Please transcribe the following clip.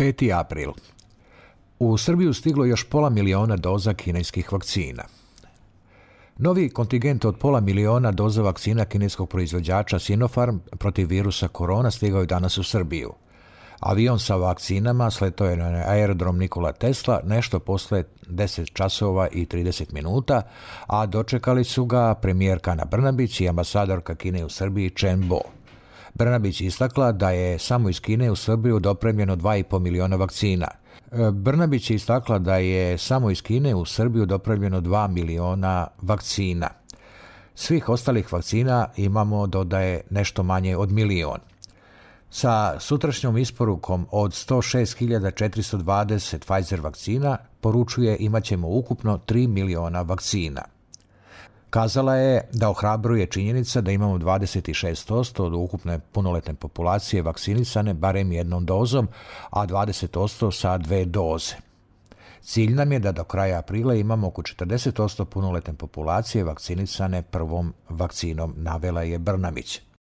5. april. U Srbiju stiglo još 500.000 doza kineskih vakcina. Novi kontingent od 500.000 doza vakcina kineskog proizvođača Sinopharm protiv virusa korona stigao je danas u Srbiju. Avion sa vakcinama sletao je na aerodrom Nikola Tesla nešto posle 10 časova i 30 minuta, a dočekali su ga premijerka Ana Brnabić i ambasadorka Kine u Srbiji Chen Bo. Brnabić istakla da je samo iz Kine u Srbiju dopremljeno 2,5 miliona vakcina. Brnabić je istakla da je samo iz Kine u Srbiju dopremljeno 2 miliona vakcina. Svih ostalih vakcina imamo, dodaje, nešto manje od milion. Sa sutrašnjom isporukom od 106.420 Pfizer vakcina poručuje imaćemo ukupno 3 miliona vakcina. Kazala je da ohrabruje činjenica da imamo 26% od ukupne punoletne populacije vakcinisane barem jednom dozom, a 20% sa 2 doze. Cilj nam je da do kraja aprila imamo oko 40% punoletne populacije vakcinisane prvom vakcinom, navela je Brnabić.